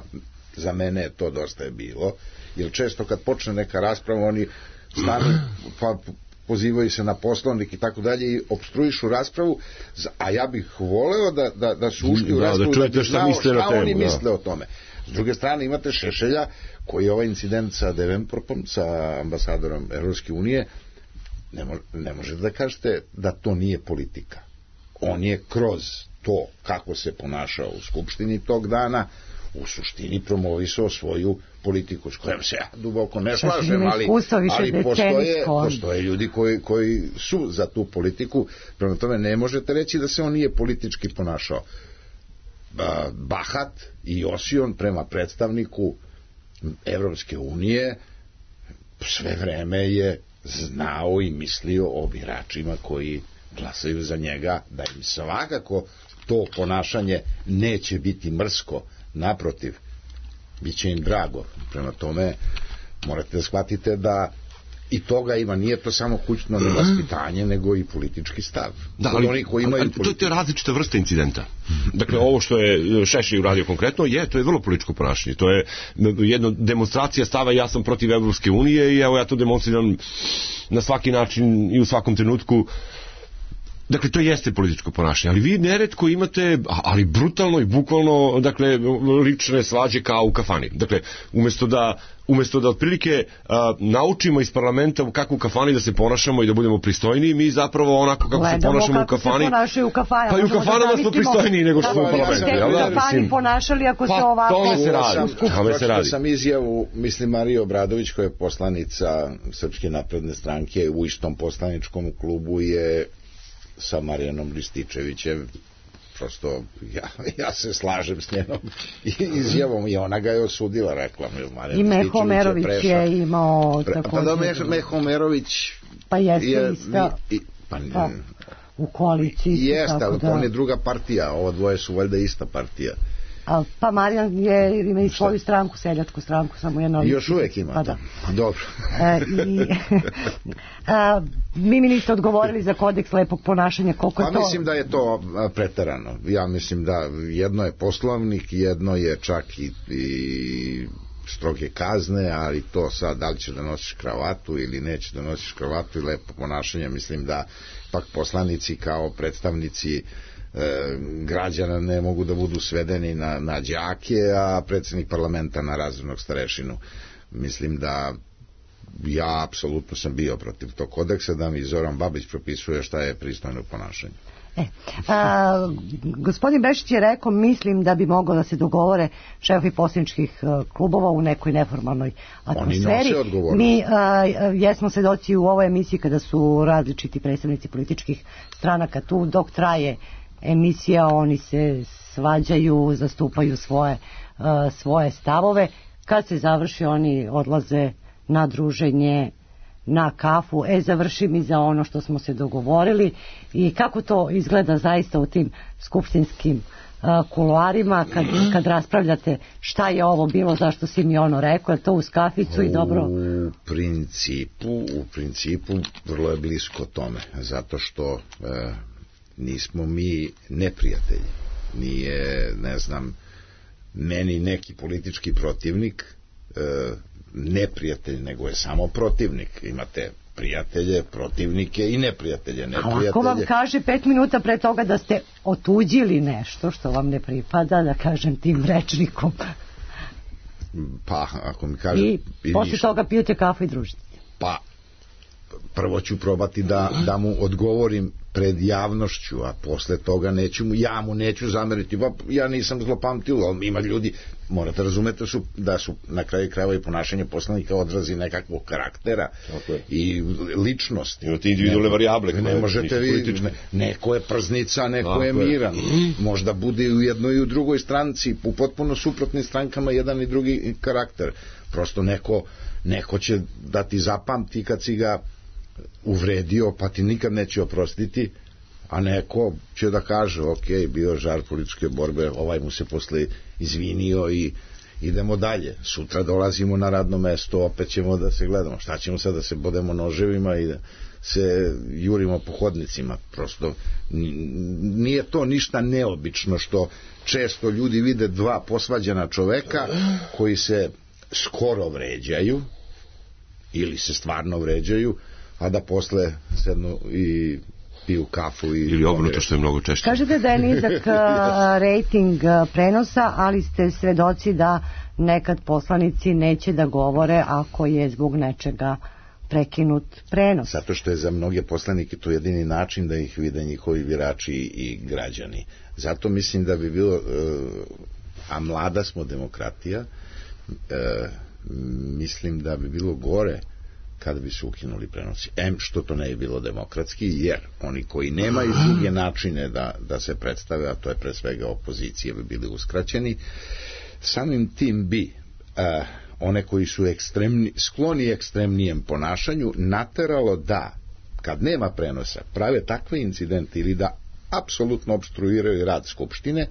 Za mene to dosta je bilo, jer često kad počne neka rasprava, oni stanu, pa pozivaju se na Poslovnik i tako dalje i opstruišu raspravu, a ja bih voleo da su ušli u raspravu, da bi znao šta oni misle o tome. S druge strane imate Šešelja, koji je ovaj incident sa Devenportom, sa ambasadorom Evropske unije, ne možete da kažete da to nije politika. On je kroz to kako se ponašao u Skupštini tog dana u suštini promovisao svoju politiku, s kojom se ja duboko ne slažem, ali postoje ljudi koji su za tu politiku. Prema tome ne možete reći da se on nije politički ponašao. Bahat i osion prema predstavniku Evropske unije sve vreme je znao i mislio o biračima koji glasaju za njega, da im svakako to ponašanje neće biti mrsko, naprotiv, bit će im drago. Prema tome morate da shvatite da i toga ima, nije to samo kućno nevaspitanje, nego i politički stav. Da, ali to je različita vrsta incidenta. Dakle, ovo što je Šešelj uradio konkretno, to je vrlo političko ponašanje. To je jedna demonstracija stava, ja sam protiv Evropske unije i evo ja to demonstriram na svaki način i u svakom trenutku. Dakle, to jeste političko ponašanje, ali vi neretko imate, ali brutalno i bukvalno, dakle, lične svađe kao u kafani. Dakle, umjesto da otprilike naučimo iz parlamenta kako u kafani da se ponašamo i da budemo pristojniji, mi zapravo onako kako se ponašamo u kafani. Pa i u kafanama smo pristojniji nego što smo u parlamentu. Kako u kafani ponašali ako se ovako... Tome se radi. Sam izjavu, mislim, Marije Obradović, koja je poslanica Srpske napredne stranke, u istom poslaničkom klubu je sa Marijanom Rističevićem prosto ja se slažem s njenom izjavom i ona ga je osudila, rekla i Meho Omerović je imao također Meho Omerović pa jeste ista u koaliciji jeste, ali on je druga partija, ovo dvoje su valjda ista partija. Pa Marijan ima i svoju stranku, seljačku stranku, samo jedno. Još uvijek ima. Pa da. Dobro. Vi mi niste odgovorili za kodeks lepog ponašanja, koliko je to? Pa mislim da je to preterano. Ja mislim da jedno je poslovnik, jedno je čak i stroge kazne, ali to sad da li će da nosiš kravatu ili neće da nosiš kravatu i lepo ponašanje, mislim da pak poslanici kao predstavnici građana ne mogu da budu svedeni na đake, a predsjednik parlamenta na razrednog starešinu. Mislim da ja apsolutno sam bio protiv tog kodeksa, da mi Zoran Babić propisuje šta je pristojno ponašanje. Gospodin Bešić je rekao, mislim da bi moglo da se dogovore šefovi poslaničkih klubova u nekoj neformalnoj atmosferi. Oni nose odgovornost. Mi jesmo svedoci u ovoj emisiji kada su različiti predstavnici političkih stranaka tu, dok traje emisija, oni se svađaju, zastupaju svoje stavove. Kad se završi, oni odlaze na druženje, na kafu, završi mi za ono što smo se dogovorili. I kako to izgleda zaista u tim skupštinskim kuloarima kad raspravljate šta je ovo bilo, zašto si mi ono rekao, je to uz kaficu i dobro? U principu vrlo je blisko tome, zato što nismo mi neprijatelji. Nije, ne znam, meni neki politički protivnik neprijatelj, nego je samo protivnik. Imate prijatelje, protivnike i neprijatelje. A ako vam kaže 5 minuta pre toga da ste otuđili nešto što vam ne pripada, da kažem tim rečnikom, pa ako mi kaže i posle toga pijete kafu i družite, pa prvo ću probati da mu odgovorim pred javnošću, a posle toga ja mu neću zameriti, ja nisam zlopamtilo, ali ima ljudi, morate razumeti da su na kraju krajeva i ponašanje poslanika odrazi nekakvog karaktera i ličnosti. Imate individualne varijable. Ne možete vi, neko je prznica, neko je miran, možda bude i u jednoj i u drugoj stranci, u potpuno suprotnim strankama jedan i drugi karakter, prosto neko će da ti zapamti kad si ga uvredio, pa ti nikad neće oprostiti, a neko će da kaže, ok, bio žar političke borbe, ovaj mu se posle izvinio i idemo dalje. Sutra dolazimo na radno mesto, opet ćemo da se gledamo. Šta ćemo sad, da se bodemo noževima i da se jurimo po hodnicima? Prosto nije to ništa neobično što često ljudi vide dva posvađana čoveka koji se skoro vređaju ili se stvarno vređaju, a da posle sednu i piju kafu ili obrnuto, što je mnogo češće. Kažete da je nizak rating prenosa, ali ste svedoci da nekad poslanici neće da govore ako je zbog nečega prekinut prenos. Zato što je za mnoge poslanike to jedini način da ih vide njihovi birači i građani. Zato mislim da bi bilo, a mlada smo demokratija, mislim da bi bilo gore kada bi se ukinuli prenosi. Što to ne je bilo demokratski, jer oni koji nemaju druge načine da se predstave, a to je pre svega opozicije, bi bili uskraćeni. Samim tim bi one koji su skloni ekstremnijem ponašanju nateralo da, kad nema prenosa, prave takve incidente ili da apsolutno opstruiraju rad Skupštine,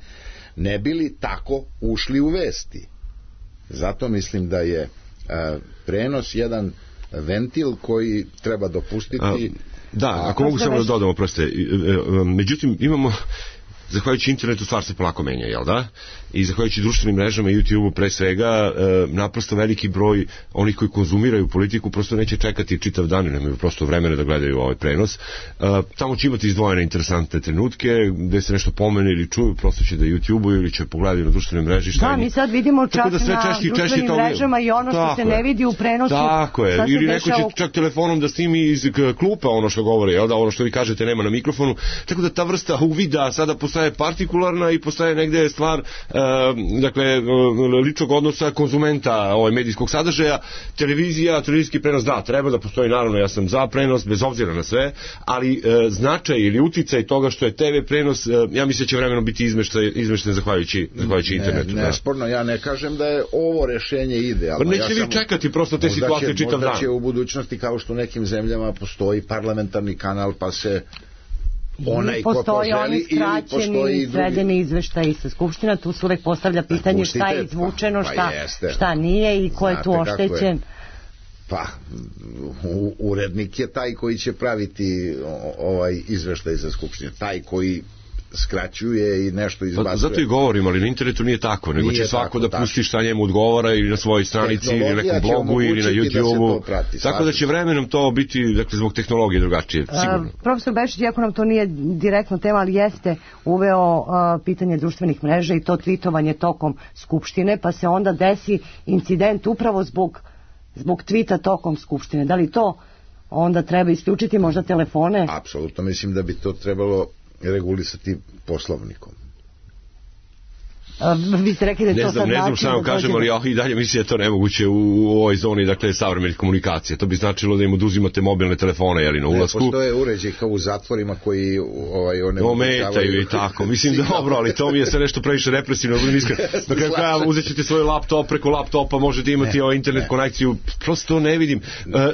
ne bili tako ušli u vesti. Zato mislim da je prenos jedan ventil koji treba dopustiti. Ako mogu samo da dodamo, proste. Međutim, imamo, zahvaljujući internetu, stvar se polako menja, jel da? I zahvaljujući društvenim mrežama i YouTube-u pre svega, naprosto veliki broj onih koji konzumiraju politiku prosto neće čekati čitav dan, nemaju prosto vremena da gledaju ovaj prenos. Tamo će imati izdvojene interesantne trenutke gde se nešto pomene ili čuju, prosto će da YouTube-u ili će pogledati na društvenim mreži. Da, mi sad vidimo čak na društvenim mrežama i ono što se ne vidi u prenosu. Tako je, ili neko će čak telefonom da snimi iz klupa ono što govori, jel da, ono što vi kažete nema na mikrofonu, tako da ta vrsta uvida sada postoje postaje partikularna i postaje negde stvar dakle ličnog odnosa konzumenta medijskog sadržaja. Televizijski prenos, da, treba da postoji, naravno ja sam za prenos bez obzira na sve, ali značaj ili uticaj toga što je TV prenos, ja mislim da će vremenom biti izmešten zahvaljujući internetu. Nesporno, ja ne kažem da je ovo rešenje idealno. Nećete vi čekati prosto te situacije čitav dan. Možda će u budućnosti, kao što u nekim zemljama postoji parlamentarni kanal, pa se onaj ko poželi, ili postoji sredeni izveštaj sa Skupština, tu se uvek postavlja pitanje šta je izvučeno, šta nije i ko je tu oštećen. Pa, urednik je taj koji će praviti ovaj izveštaj za Skupštinu, taj koji skraćuje i nešto izbacuje. Zato i govorim, ali na internetu nije tako, nego će svako da pusti šta njemu odgovara ili na svojoj stranici ili na nekom blogu ili na YouTube-u. Tako da će vremenom to biti, dakle, zbog tehnologije drugačije, sigurno. Profesor Bešić, iako nam to nije direktno tema, ali jeste uveo pitanje društvenih mreža i to tweetovanje tokom Skupštine, pa se onda desi incident upravo zbog tvita tokom Skupštine. Da li to onda treba isključiti možda telefone? Apsolutno, mislim da bi to trebalo regulisati poslovnikom. Vi ste rekli da je to sad način... Ne znam šta vam kažem, ali i dalje mislim da je to nemoguće u ovoj zoni, dakle, savremenih komunikacija. To bi značilo da im oduzimate mobilne telefone, jeli, na ulasku. Ne postoje uređaj kao u zatvorima koji ometaju i tako. Mislim, dobro, ali to mi je sve nešto previše represivno. Na kraju kraja uzet ćete svoj laptop, preko laptopa možete imati internet konekciju. Prosto ne vidim.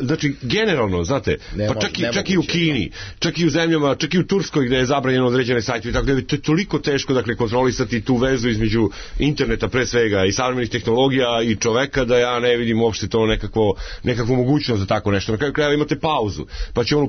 Znači, generalno, znate, pa čak i u Kini, čak i u zemljama, čak i u Turskoj gde je zabranjeno određene sajte, tako da je toliko teško, dakle, kontrolisati tu vezu između interneta pre svega i savremenih tehnologija i čoveka, da ja ne vidim uopšte to nekakvu mogućnost za tako nešto. Na kraju krajeva imate pauzu, pa će on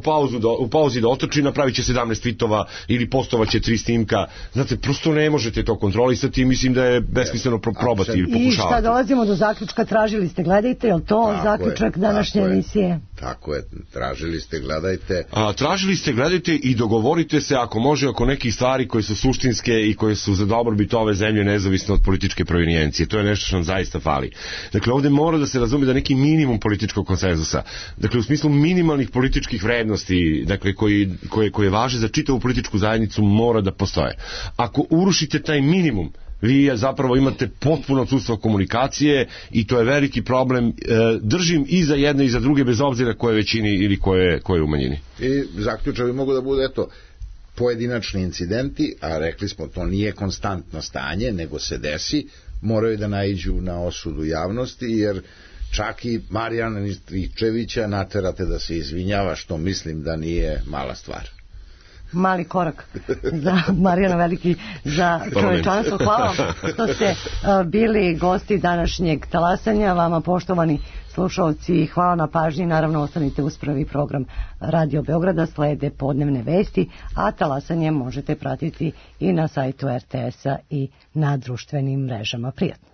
u pauzi da otrči, napravit će 17 tweetova ili postovaće 3 snimka. Znate, prosto ne možete to kontrolisati i mislim da je besmisleno probati ili pokušavati. I šta, dolazimo do zaključka, tražili ste, gledajte, je li to zaključak današnje emisije? Tako je, tražili ste, gledajte. Tražili ste, gledajte i dogovorite se ako može oko nekih stvari koje su suštinske i koje su za dobrobit ove zemlje nezavisno od političke provenijencije. To je nešto što nam zaista fali. Dakle, ovde mora da se razume da neki minimum političkog konsenzusa, dakle, u smislu minimalnih političkih vrednosti, dakle, koje važe za čitavu političku zajednicu, mora da postoje. Ako urušite taj minimum, vi zapravo imate potpuno odsustvo komunikacije i to je veliki problem. Držim i za jedne i za druge, bez obzira koje većini ili koje u manjini. I zaključak mogu da bude, eto, pojedinačni incidenti, a rekli smo to nije konstantno stanje, nego se desi, moraju da naiđu na osudu javnosti, jer čak i Marijana Rističevića naterate da se izvinjava, što mislim da nije mala stvar. Mali korak za Marijana, veliki za čovečanstvo. Hvala što ste bili gosti današnjeg talasanja. Vama, poštovani slušalci, hvala na pažnji. Naravno, ostanite uz prvi program Radio Beograda, slede podnevne vesti, a talasanje možete pratiti i na sajtu RTS-a i na društvenim mrežama. Prijatno.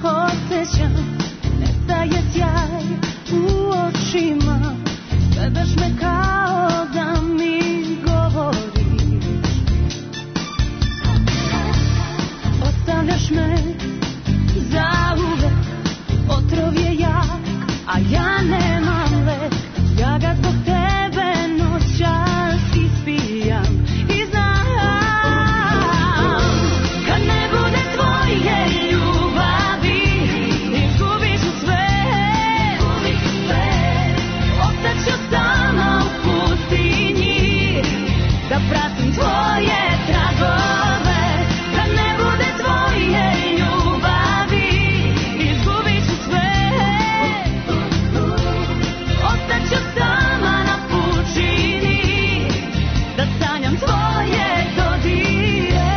Osjećam, nestaje sjaj u očima, gledaš me kao da mi govoriš, ostavljaš me zauvek, otrov je jak, a ja nemam lek, ja ga zbog tebe noćas ispijam i znam, kad ne bude tvoje da pratim tvoje tragove, kad ne bude tvoje ljubavi, izgubit ću sve, ostaću sama na pučini, da sanjam tvoje dodire.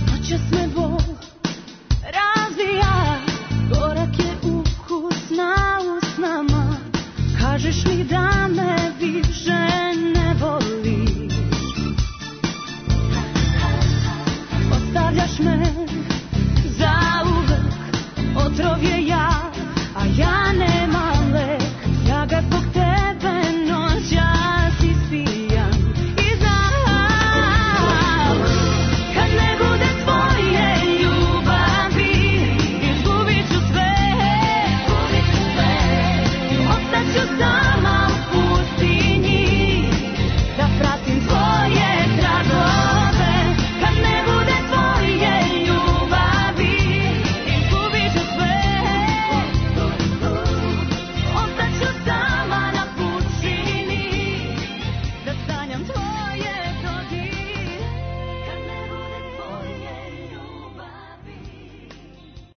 Noćas me bol razvija, gorak je ukus na usnama, kažeš mi da